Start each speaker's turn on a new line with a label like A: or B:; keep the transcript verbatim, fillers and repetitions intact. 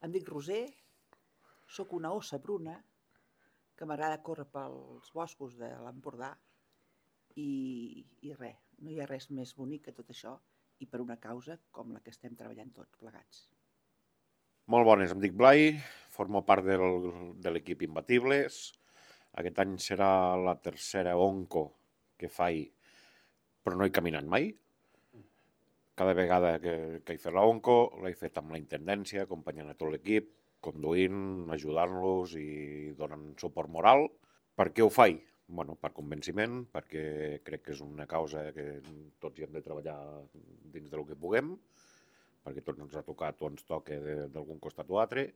A: Em dic Roser, sóc una ossa bruna que m'agrada córrer pels boscos de l'Empordà i, i res, no hi ha res més bonic que tot això i per una causa com la que estem treballant tots plegats.
B: Molt bones, em dic Blai, formo part del, de l'equip Imbatibles. Aquest any serà la tercera onco que faig, però no he caminat mai. Cada vegada que, que he fet l'onco l'he fet amb la intendència, acompanyant a tot l'equip, conduint, ajudant-los i donant suport moral. Per què ho faig? Bueno, per convenciment, perquè crec que és una causa que tots hi hem de treballar dins del que puguem, perquè tots ens ha tocat o ens toca d'algun costat o altre,